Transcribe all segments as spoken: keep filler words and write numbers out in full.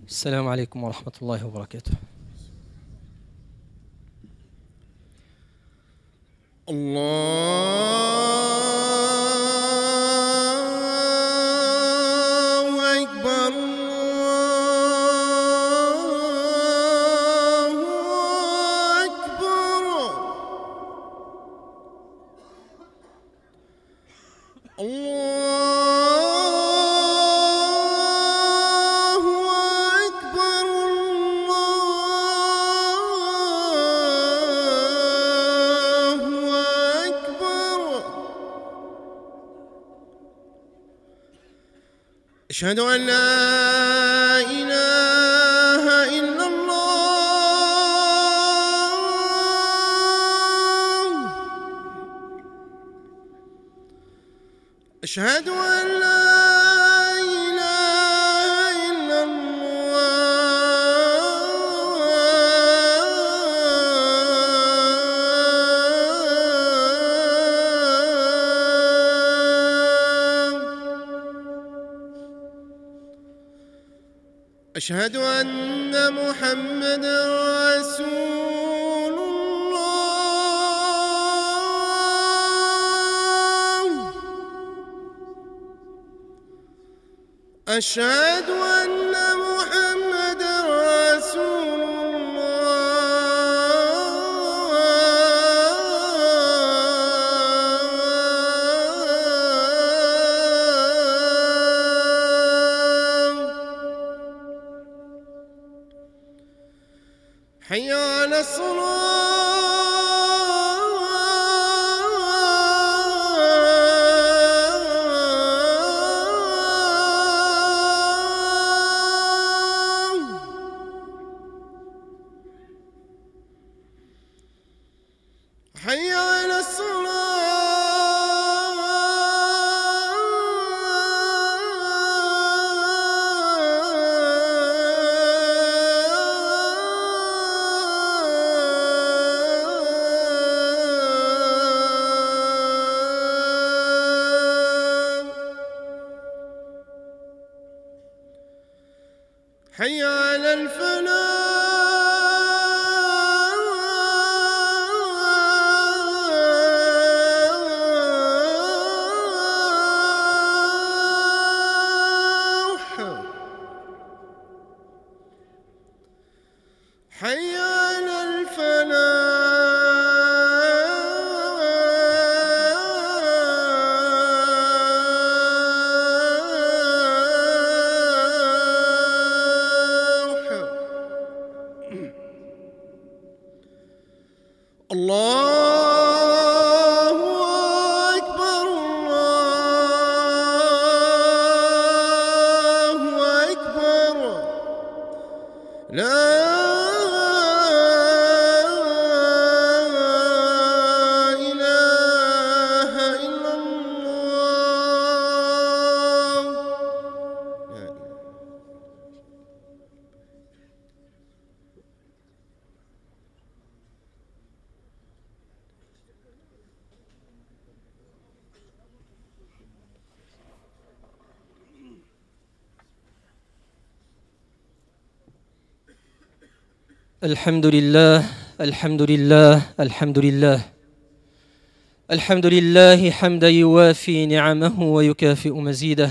السلام عليكم ورحمة الله وبركاته. الله أكبر الله أكبر الله أكبر الله أكبر. أشهد أن لا إله إلا الله. أشهد أن لا إله إلا الله. أشهد أن محمدا رسول الله. أشهد أن محمدا رسول الله. حي على الصلاة. حي على الصلاة. حي على الفلاح. حي على الفلاح. الله أكبر الله أكبر. لا إله إلا الله. الحمد لله الحمد لله الحمد لله الحمد لله حمدا يوافي نعمه ويكافئ مزيده.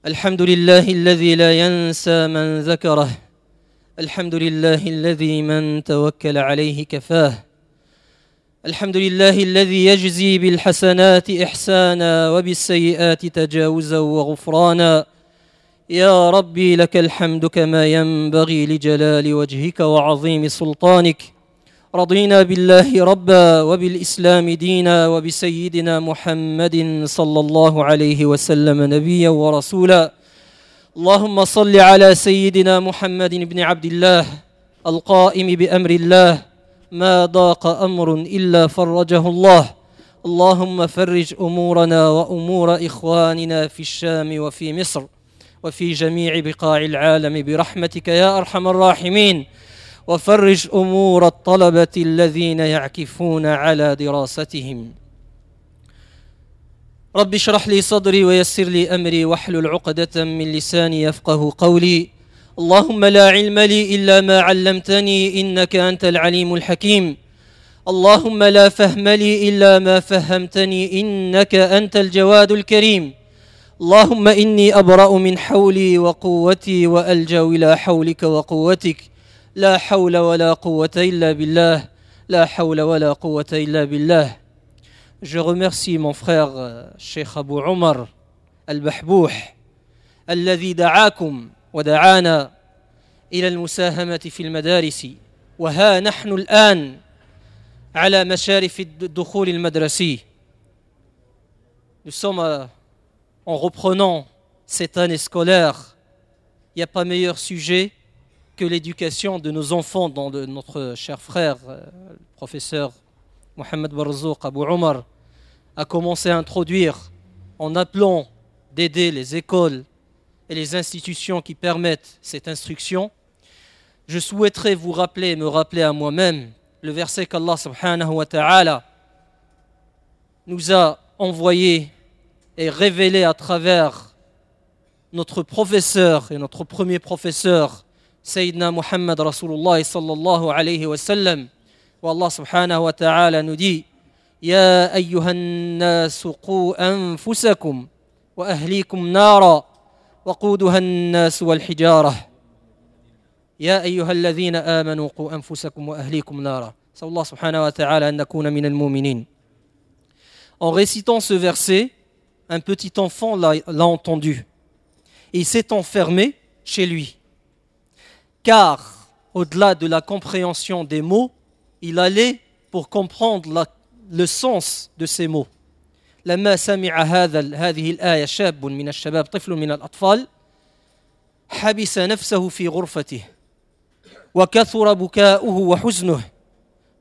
الحمد لله الذي لا ينسى من ذكره. الحمد لله الذي من توكل عليه كفاه. الحمد لله الذي يجزي بالحسنات إحسانا وبالسيئات تجاوزا وغفرانا. يا ربي لك الحمد كما ينبغي لجلال وجهك وعظيم سلطانك. رضينا بالله ربا وبالإسلام دينا وبسيدنا محمد صلى الله عليه وسلم نبيا ورسولا. اللهم صل على سيدنا محمد بن عبد الله القائم بأمر الله، ما ضاق أمر إلا فرجه الله. اللهم فرج أمورنا وأمور إخواننا في الشام وفي مصر وفي جميع بقاع العالم برحمتك يا أرحم الراحمين، وفرج أمور الطلبة الذين يعكفون على دراستهم. رب اشرح لي صدري ويسر لي أمري واحلل عقدة من لساني يفقه قولي. اللهم لا علم لي إلا ما علمتني إنك أنت العليم الحكيم. اللهم لا فهم لي إلا ما فهمتني إنك أنت الجواد الكريم. اللهم إني أبرأ من حولي وقوتي وألجأ إلى حولك وقوتك. لا حول ولا قوة إلا بالله، لا حول ولا قوة إلا بالله. Je remercie mon frère Cheikh Abu Omar Al-Bahbouh الذي دعاكم ودعانا إلى المساهمة في المدارس، وها نحن الآن على مشارف الدخول المدرسي. Nous sommes en reprenant cette année scolaire. Il n'y a pas meilleur sujet que l'éducation de nos enfants, dont de notre cher frère, le professeur Mohamed Barzouk Abu Omar, a commencé à introduire en appelant d'aider les écoles et les institutions qui permettent cette instruction. Je souhaiterais vous rappeler et me rappeler à moi-même le verset qu'Allah سبحانه وتعالى nous a envoyé et révélé à travers notre professeur et notre premier professeur, سيدنا محمد رسول الله صلى الله عليه وسلم, où Allah سبحانه وتعالى nous dit: يا أيها الناس قوا أنفسكم وأهليكم نارا وقودها الناس والحجارة. يا أيها الذين آمنوا قوا أنفسكم وأهليكم نارا. نسأل الله سبحانه وتعالى أن نكون من المؤمنين. En récitant ce verset, un petit enfant l'a, l'a entendu. Et il s'est enfermé chez lui. Car, au-delà de la compréhension des mots, il allait pour comprendre la, le sens de ces mots. لما سمع هذا هذه الآية شاب من الشباب، طفل من الأطفال، حبس نفسه في غرفته وكثر بكاؤه وحزنه،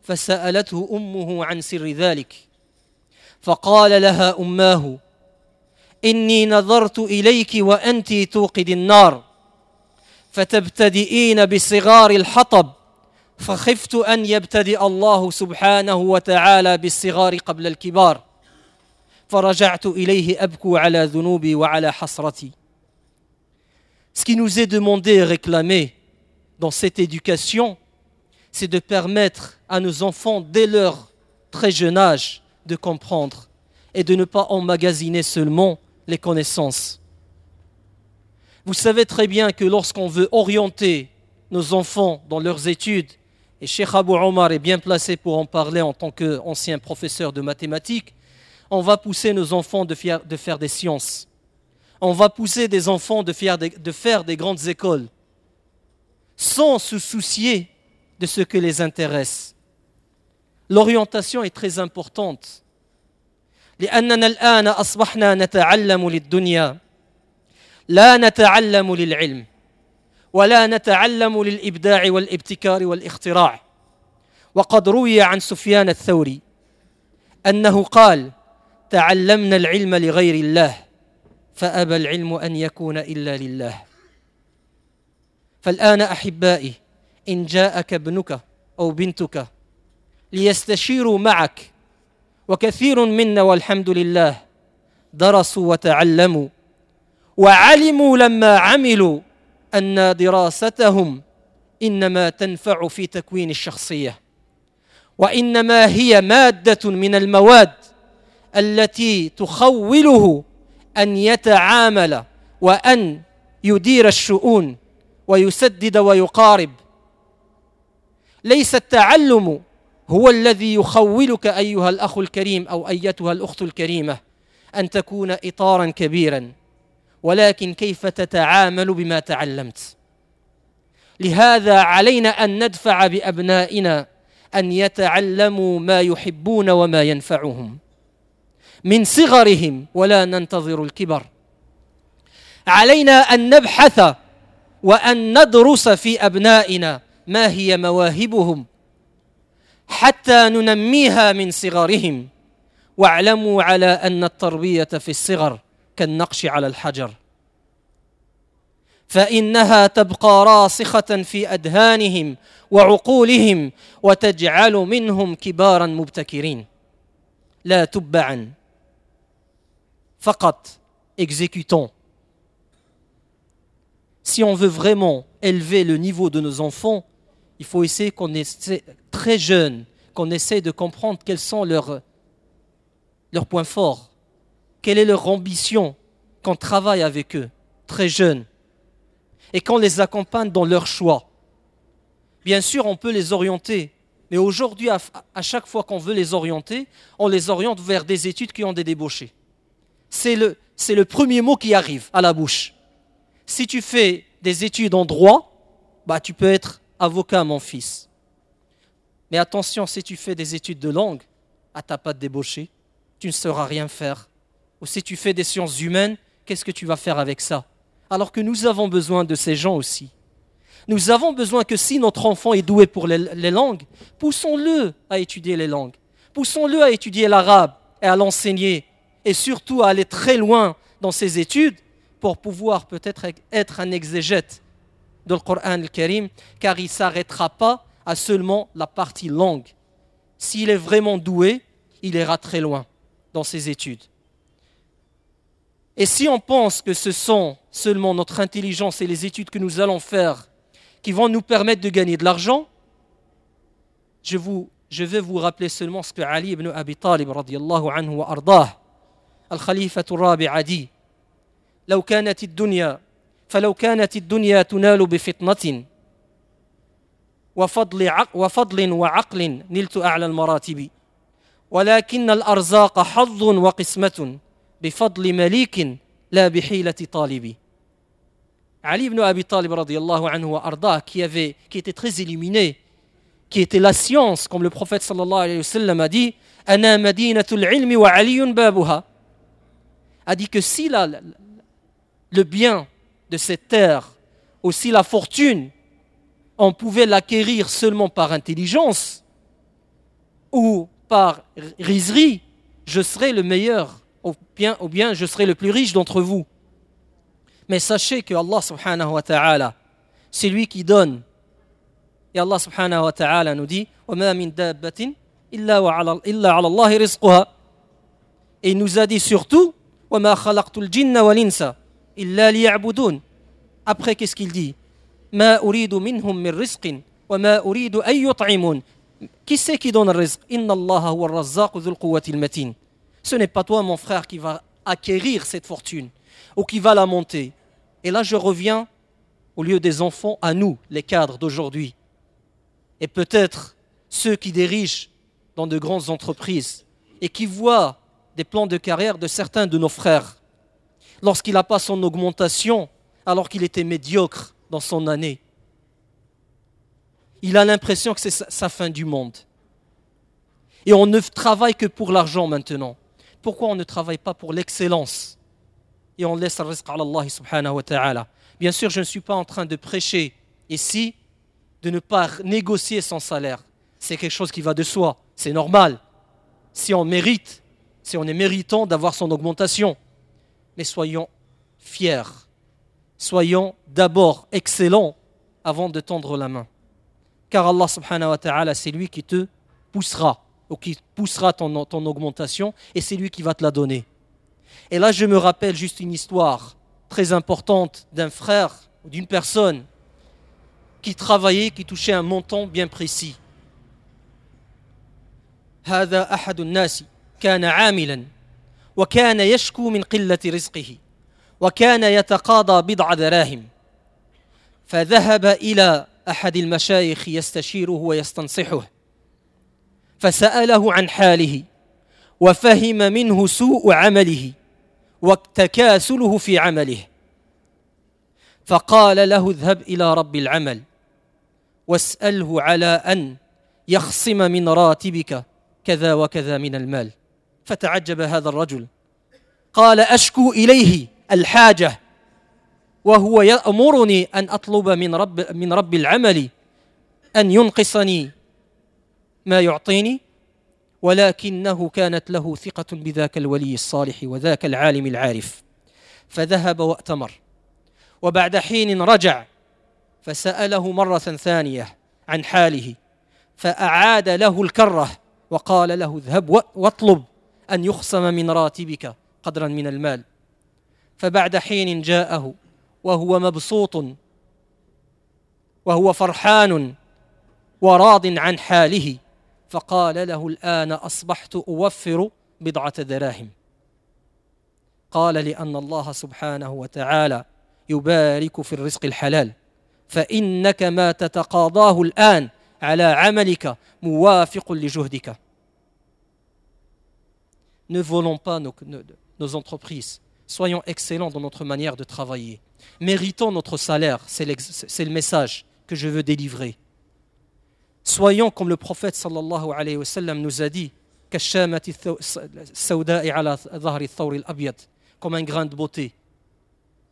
فسألته أمه عن سر ذلك، فقال لها أماه: إني نظرت إليك وأنت توقد النار فتبتدئين بصغار الحطب، فخفت أن يبتدئ الله سبحانه وتعالى بالصغار قبل الكبار، فرجعت إليه أبكو على ذنوبي وعلى حسرتي. Ce qui nous est demandé et réclamé dans cette éducation, c'est de permettre à nos enfants, dès leur très jeune âge, de comprendre et de ne pas emmagasiner seulement les connaissances. Vous savez très bien que lorsqu'on veut orienter nos enfants dans leurs études, et Cheikh Abou Omar est bien placé pour en parler en tant qu'ancien professeur de mathématiques, on va pousser nos enfants de faire, de faire des sciences. On va pousser des enfants de faire des, de faire des grandes écoles, sans se soucier de ce que les intéresse. L'orientation est très importante. لأننا الآن أصبحنا نتعلم للدنيا، لا نتعلم للعلم ولا نتعلم للإبداع والابتكار والاختراع. وقد روي عن سفيان الثوري أنه قال: تعلمنا العلم لغير الله، فأبى العلم أن يكون إلا لله. فالآن أحبائي، إن جاءك ابنك أو بنتك ليستشيروا معك، وكثير منا والحمد لله درسوا وتعلموا وعلموا لما عملوا أن دراستهم إنما تنفع في تكوين الشخصية، وإنما هي مادة من المواد التي تخوله أن يتعامل وأن يدير الشؤون ويسدد ويقارب. ليس التعلم هو الذي يخولك أيها الأخ الكريم أو أيتها الأخت الكريمة أن تكون إطارا كبيرا، ولكن كيف تتعامل بما تعلمت. لهذا علينا أن ندفع بأبنائنا أن يتعلموا ما يحبون وما ينفعهم من صغرهم، ولا ننتظر الكبر. علينا أن نبحث وأن ندرس في أبنائنا ما هي مواهبهم حتى ننميها من صغرهم. واعلموا على أن التربية في الصغر كالنقش على الحجر، فإنها تبقى راسخة في أذهانهم وعقولهم وتجعل منهم كبارا مبتكرين لا تبعا فقط exécutants. Si on veut vraiment élever le niveau de nos enfants, il faut essayer qu'on essaie très jeune, qu'on essaie de comprendre quels sont leurs, leurs points forts, quelle est leur ambition, qu'on travaille avec eux, très jeunes, et qu'on les accompagne dans leur choix. Bien sûr, on peut les orienter, mais aujourd'hui, à, à chaque fois qu'on veut les orienter, on les oriente vers des études qui ont des débouchés. C'est le, c'est le premier mot qui arrive à la bouche. Si tu fais des études en droit, bah, tu peux être avocat, mon fils. Mais attention, si tu fais des études de langue, ah, t'as pas de débouché, tu ne sauras rien faire. Ou si tu fais des sciences humaines, qu'est-ce que tu vas faire avec ça? Alors que nous avons besoin de ces gens aussi. Nous avons besoin que si notre enfant est doué pour les, les langues, poussons-le à étudier les langues. Poussons-le à étudier l'arabe et à l'enseigner. Et surtout à aller très loin dans ses études pour pouvoir peut-être être un exégète de القرآن الكريم, car il ne s'arrêtera pas à seulement la partie langue. S'il est vraiment doué, il ira très loin dans ses études. Et si on pense que ce sont seulement notre intelligence et les études que nous allons faire qui vont nous permettre de gagner de l'argent, je, vous, je vais vous rappeler seulement ce que Ali ibn Abi Talib رضي الله عنه وأرضاه, الخليفة الرابع a dit: لو كانت الدنيا فلو كانت الدنيا تنال بفطنة وفضل, عق وفضل وعقل نلت أعلى المراتب ولكن الأرزاق حظ وقسمة بفضل مليك لا بحيلة طالب. Ali ibn Abi Talib رضي الله عنه وأرضاه, qui, avait, qui était très illuminé, qui était la science, comme le prophète صلى الله عليه وسلم a dit: أنا مدينة العلم وعلي بابها, a dit que si la, le bien de cette terre, aussi la fortune, on pouvait l'acquérir seulement par intelligence ou par riserie, je serais le meilleur, ou bien, ou bien je serais le plus riche d'entre vous. Mais sachez que الله سبحانه وتعالى, c'est lui qui donne. Et الله سبحانه وتعالى nous dit: وَمَا مِن دَابَّةٍ إِلَّا عَلَى اللَّهِ رِزْقُهَا. Et il nous a dit surtout: وَمَا خَلَقْتُ الْجِنَّ وَالْإِنسَ إِلَّا لِيَعْبُدُونَ. Après, qu'est-ce qu'il dit? مَا أُرِيدُ مِنْهُم مِّن رِزْقٍ وَمَا أُرِيدُ أَن يُطْعِمُونَ. Qui c'est qui donne le رزق? إِنَّ اللَّهَ هُوَ الرَّزَّاقُ ذُو الْقُوَّةِ الْمَتِينِ. Ce n'est pas toi, mon frère, qui va acquérir cette fortune ou qui va la monter. Et là, je reviens, au lieu des enfants, à nous, les cadres d'aujourd'hui. Et peut-être ceux qui dirigent dans de grandes entreprises et qui voient des plans de carrière de certains de nos frères. Lorsqu'il n'a pas son augmentation, alors qu'il était médiocre dans son année, il a l'impression que c'est sa fin du monde. Et on ne travaille que pour l'argent maintenant. Pourquoi on ne travaille pas pour l'excellence? Et on laisse le رزق على الله سبحانه وتعالى. Bien sûr, je ne suis pas en train de prêcher ici de ne pas négocier son salaire. C'est quelque chose qui va de soi, c'est normal. Si on mérite, si on est méritant d'avoir son augmentation. Mais soyons fiers. Soyons d'abord excellents avant de tendre la main. Car الله سبحانه وتعالى, c'est lui qui te poussera, ou qui poussera ton, ton augmentation, et c'est lui qui va te la donner. Et là, je me rappelle juste une histoire très importante d'un frère ou d'une personne qui travaillait, qui touchait un montant bien précis. هذا أحد الناس كان عاملا وكان يشكو من قلة رزقه وكان يتقاضى بضع دراهم فذهب إلى أحد المشايخ يستشيره ويستنصحه فسأله عن حاله وفهم منه سوء عمله وتكاسله في عمله فقال له اذهب إلى رب العمل واسأله على أن يخصم من راتبك كذا وكذا من المال. فتعجب هذا الرجل قال أشكو إليه الحاجة وهو يأمرني أن أطلب من رب, من رب العمل أن ينقصني ما يعطيني ولكنه كانت له ثقة بذاك الولي الصالح وذاك العالم العارف فذهب وأتمر وبعد حين رجع فسأله مرة ثانية عن حاله فأعاد له الكرة وقال له اذهب واطلب أن يخصم من راتبك قدرا من المال. فبعد حين جاءه وهو مبسوط وهو فرحان وراض عن حاله، فقال له الآن أصبحت أوفر بضعة دراهم. قال لأن الله سبحانه وتعالى يبارك في الرزق الحلال، فإنك ما تتقاضاه الآن على عملك موافق لجهدك. Ne volons pas nos, nos, nos entreprises. Soyons excellents dans notre manière de travailler. Méritons notre salaire, c'est, c'est le message que je veux délivrer. Soyons comme le prophète صلى الله عليه وسلم nous a dit, كالشامة السوداء على ظهر الثور الأبيض, comme un grain de beauté.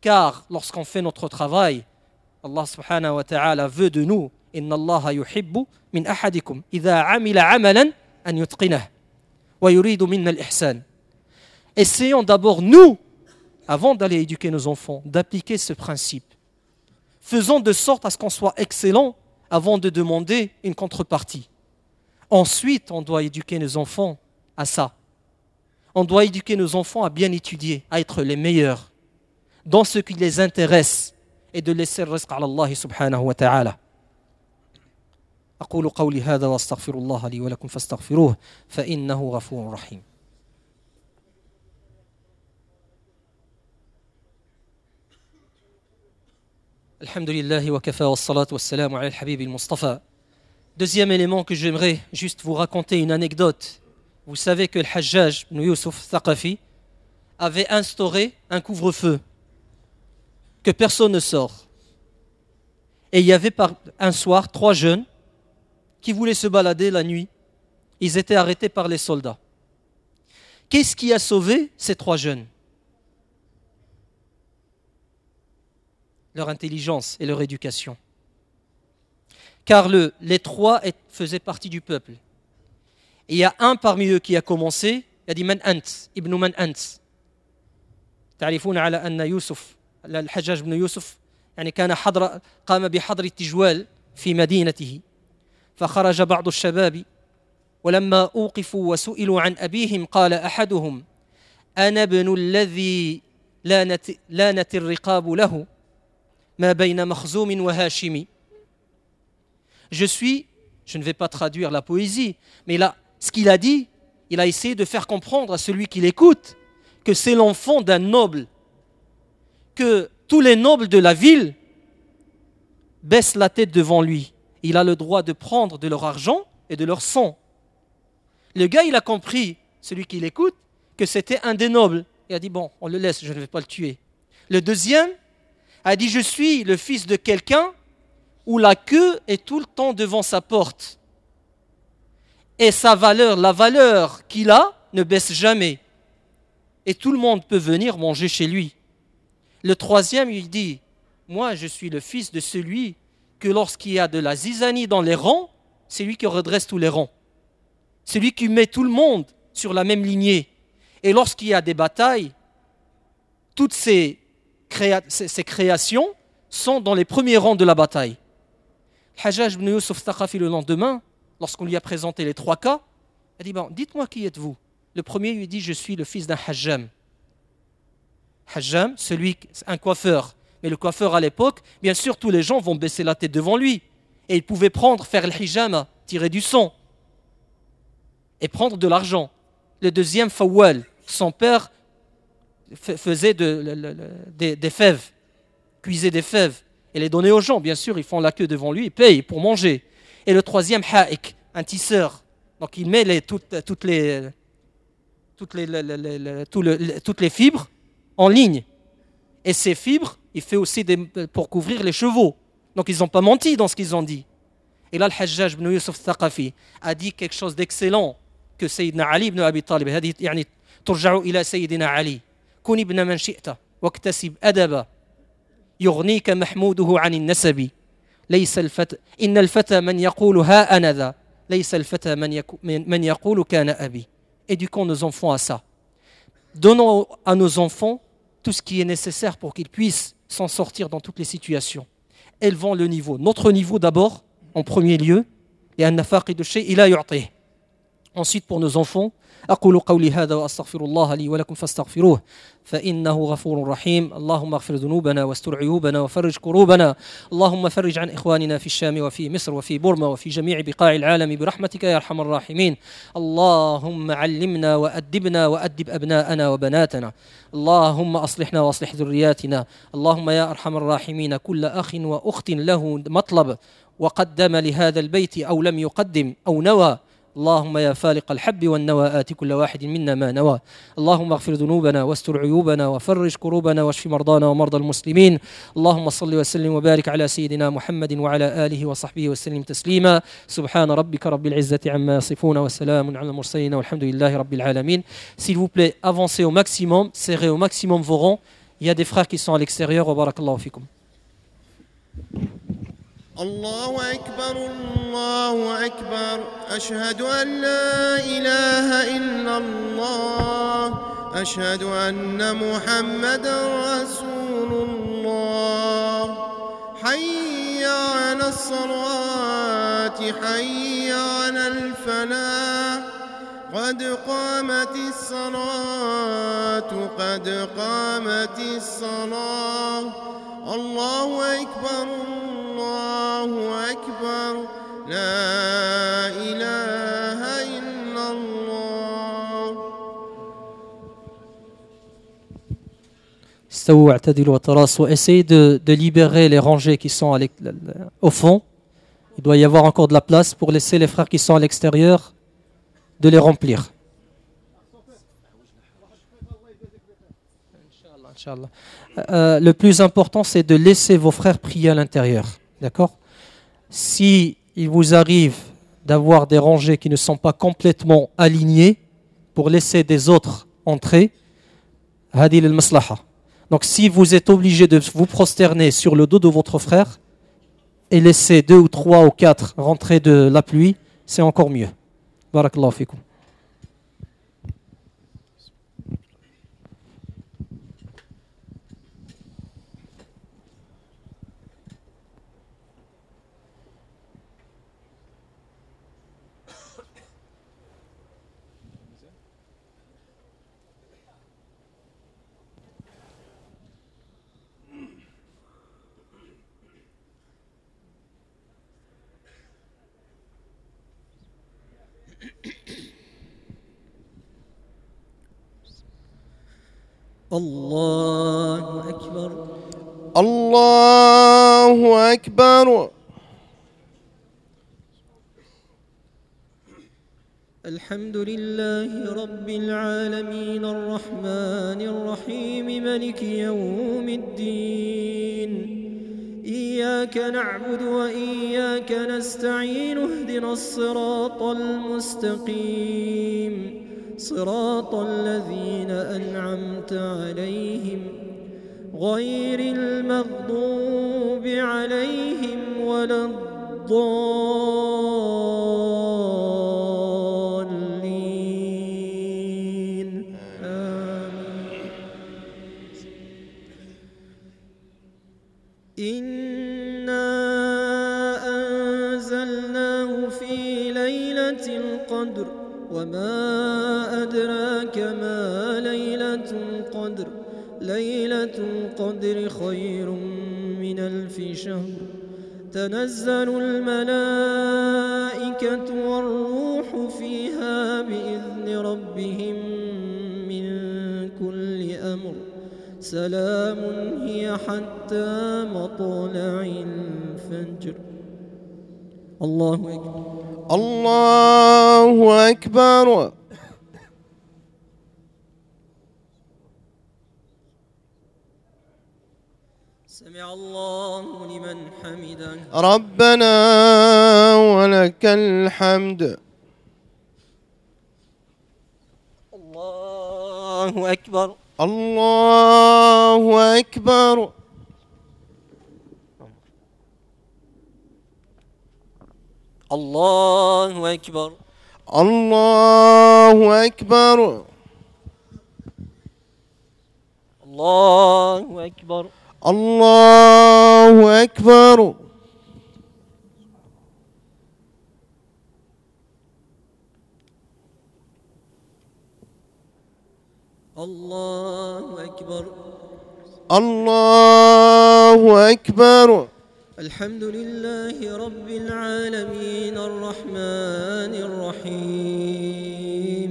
Car lorsqu'on fait notre travail, الله سبحانه وتعالى veut de nous, إن الله يحب من أحدكم إذا عمل عملا أن يتقنه ويريد منا الإحسان. Essayons d'abord nous, avant d'aller éduquer nos enfants, d'appliquer ce principe. Faisons de sorte à ce qu'on soit excellent avant de demander une contrepartie. Ensuite, on doit éduquer nos enfants à ça. On doit éduquer nos enfants à bien étudier, à être les meilleurs dans ce qui les intéresse et de laisser le رزق على الله سبحانه وتعالى. أقول قولي هذا وأستغفر الله لي ولكم فاستغفروه فإنه غفور رحيم. الحمد لله وكفى والصلاة والسلام على الحبيب المصطفى. Deuxième élément que j'aimerais juste vous raconter une anecdote. Vous savez que le Hajjaj ibn Yusuf Thaqafi avait instauré un couvre-feu, que personne ne sort. Et il y avait par un soir trois jeunes qui voulaient se balader la nuit. Ils étaient arrêtés par les soldats. Qu'est-ce qui a sauvé ces trois jeunes? Leur intelligence et leur éducation. Car le, les trois faisaient partie du peuple. Et il y a un parmi eux qui a commencé, il a dit من أنت، ابن من أنت. تعرفون على أن يوسف الحجاج بن يوسف يعني كان حضر قام بحظر التجوال في مدينته، فخرج بعض الشباب ولما أوقفوا وسئلوا عن أبيهم قال أحدهم أنا ابن الذي لانت, لانت الرقاب له ما بين مخزوم وهاشم. Je suis, je ne vais pas traduire la poésie, mais là, ce qu'il a dit, il a essayé de faire comprendre à celui qui l'écoute que c'est l'enfant d'un noble, que tous les nobles de la ville baissent la tête devant lui. Il a le droit de prendre de leur argent et de leur sang. Le gars, il a compris, celui qui l'écoute, que c'était un des nobles. Il a dit, bon, on le laisse, je ne vais pas le tuer. Le deuxième a dit, je suis le fils de quelqu'un où la queue est tout le temps devant sa porte. Et sa valeur, la valeur qu'il a, ne baisse jamais. Et tout le monde peut venir manger chez lui. Le troisième, il dit, moi je suis le fils de celui que lorsqu'il y a de la zizanie dans les rangs, c'est lui qui redresse tous les rangs. C'est lui qui met tout le monde sur la même lignée. Et lorsqu'il y a des batailles, toutes ces, créa- ces créations sont dans les premiers rangs de la bataille. Hajjaj ibn Yusuf Thaqafi, le lendemain, lorsqu'on lui a présenté les trois cas, il a dit, bon, dites-moi qui êtes-vous? Le premier lui dit, je suis le fils d'un hajjam. Hajjam, celui, un coiffeur. Mais le coiffeur à l'époque, bien sûr, tous les gens vont baisser la tête devant lui. Et il pouvait prendre, faire le hijama, tirer du sang et prendre de l'argent. Le deuxième, Fawal, son père faisait de, le, le, des, des fèves, cuisait des fèves et les donnait aux gens. Bien sûr, ils font la queue devant lui, ils payent pour manger. Et le troisième, Haïk, un tisseur. Donc il met les, toutes, toutes, les, toutes, les, les, les, les, tout le, toutes les fibres en ligne. Et ces fibres, il fait aussi des, pour couvrir les chevaux. Donc ils n'ont pas menti dans ce qu'ils ont dit. Et là, le Hajjaj ibn Yusuf Thaqafi a dit quelque chose d'excellent que سيدنا علي ibn Abi Talib, هذه يعني ترجع إلى سيدنا علي. كن ابن من شئت واكتسب أدبا يغنيك محموده عن النسب. ليس الفتى إن الفتى من يقول ها أنا ذا ليس الفتى من, يكو من يقول كان أبي. Éduquons nos enfants à ça. Donnons à nos enfants tout ce qui est nécessaire pour qu'ils puissent s'en sortir dans toutes les situations. Élevons le niveau. Notre niveau d'abord, en premier lieu, لأن فاقد الشيء لا يعطيه. Ensuite pour nos enfants, أقول قولي هذا وأستغفر الله لي ولكم فاستغفروه فإنه غفور رحيم. اللهم اغفر ذنوبنا واستر عيوبنا وفرج كروبنا. اللهم فرج عن إخواننا في الشام وفي مصر وفي بورما وفي جميع بقاع العالم برحمتك يا أرحم الراحمين. اللهم علمنا وأدبنا وأدب أبناءنا وبناتنا. اللهم أصلحنا وأصلح ذرياتنا. اللهم يا أرحم الراحمين كل أخ وأخت له مطلب وقدم لهذا البيت أو لم يقدم أو نوى، اللهم يا فالق الحب والنوى آت كل واحد منا ما نوى. اللهم اغفر ذنوبنا واستر عيوبنا وفرج كروبنا واشف مرضانا ومرضى المسلمين. اللهم صل وسلم وبارك على سيدنا محمد وعلى آله وصحبه وسلم تسليما. سبحان ربك رب العزة عما يصفون وسلام على المرسلين والحمد لله رب العالمين. S'il vous plaît, avancez au maximum, serrez au maximum vos rangs. Il y a des frères qui sont à l'extérieur. وبارك الله فيكم. الله أكبر الله أكبر، أشهد أن لا إله إلا الله، أشهد أن محمدا رسول الله. حي على الصلاة، حي على الفلاح، قد قامت الصلاة، قد قامت الصلاة. الله أكبر الله أكبر، لا إله إلا الله. استووا واعتدلوا وتراصوا. Essayez de, de libérer les rangées qui sont à au fond. Il doit y avoir encore de la place pour laisser les frères qui sont à l'extérieur de les remplir. Inch'Allah. Euh, le plus important, c'est de laisser vos frères prier à l'intérieur. D'accord ? Si il vous arrive d'avoir des rangées qui ne sont pas complètement alignées, pour laisser des autres entrer, هذه للمصلحة. Donc si vous êtes obligé de vous prosterner sur le dos de votre frère et laisser deux ou trois ou quatre rentrer de la pluie, c'est encore mieux. بارك الله فيكم. الله أكبر الله أكبر. الحمد لله رب العالمين الرحمن الرحيم ملك يوم الدين إياك نعبد وإياك نستعين اهدنا الصراط المستقيم صراط الذين أنعمت عليهم غير المغضوب عليهم ولا الضالين آمين. إنا أنزلناه في ليلة القدر وما أدراك ما ليلة القدر ليلة القدر خير من ألف شهر تنزل الملائكة والروح فيها بإذن ربهم من كل أمر سلام هي حتى مطلع الفجر. الله أكبر الله أكبر. سمع الله لمن حمده. ربنا ولك الحمد. الله أكبر الله أكبر. الله أكبر الله أكبر. الله أكبر الله أكبر. الله أكبر. الله أكبر. الحمد لله رب العالمين الرحمن الرحيم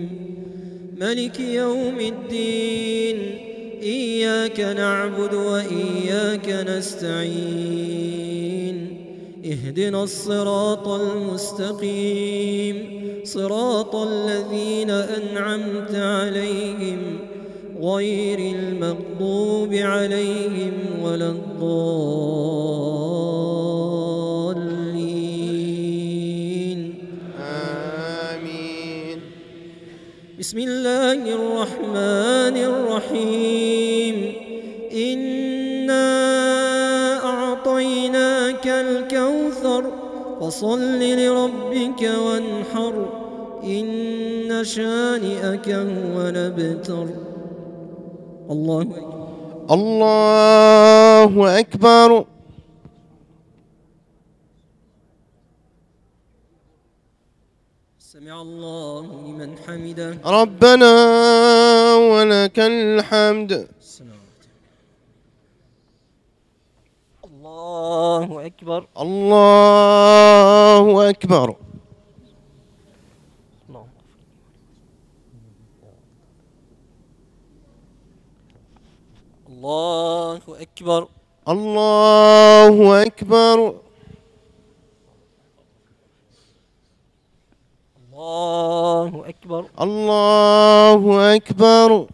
ملك يوم الدين إياك نعبد وإياك نستعين اهدنا الصراط المستقيم صراط الذين أنعمت عليهم غير المغضوب عليهم ولا الضالين. آمين. بسم الله الرحمن الرحيم. إنا أعطيناك الكوثر فصل لربك وانحر إن شانئك هو الأبتر. الله أكبر. الله أكبر. سمع الله لمن حمده. ربنا ولك الحمد. الله أكبر. الله أكبر. الله أكبر. الله أكبر. الله أكبر. الله أكبر.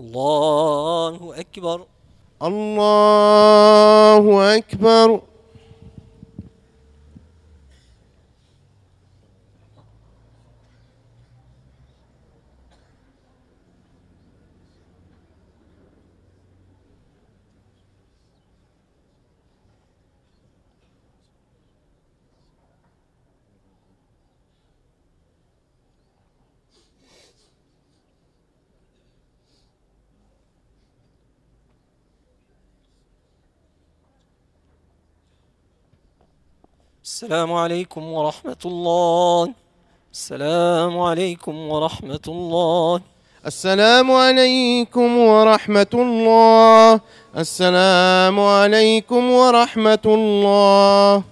الله أكبر. الله أكبر. السلام عليكم ورحمة الله. السلام عليكم ورحمة الله. السلام عليكم ورحمة الله. السلام عليكم ورحمة الله.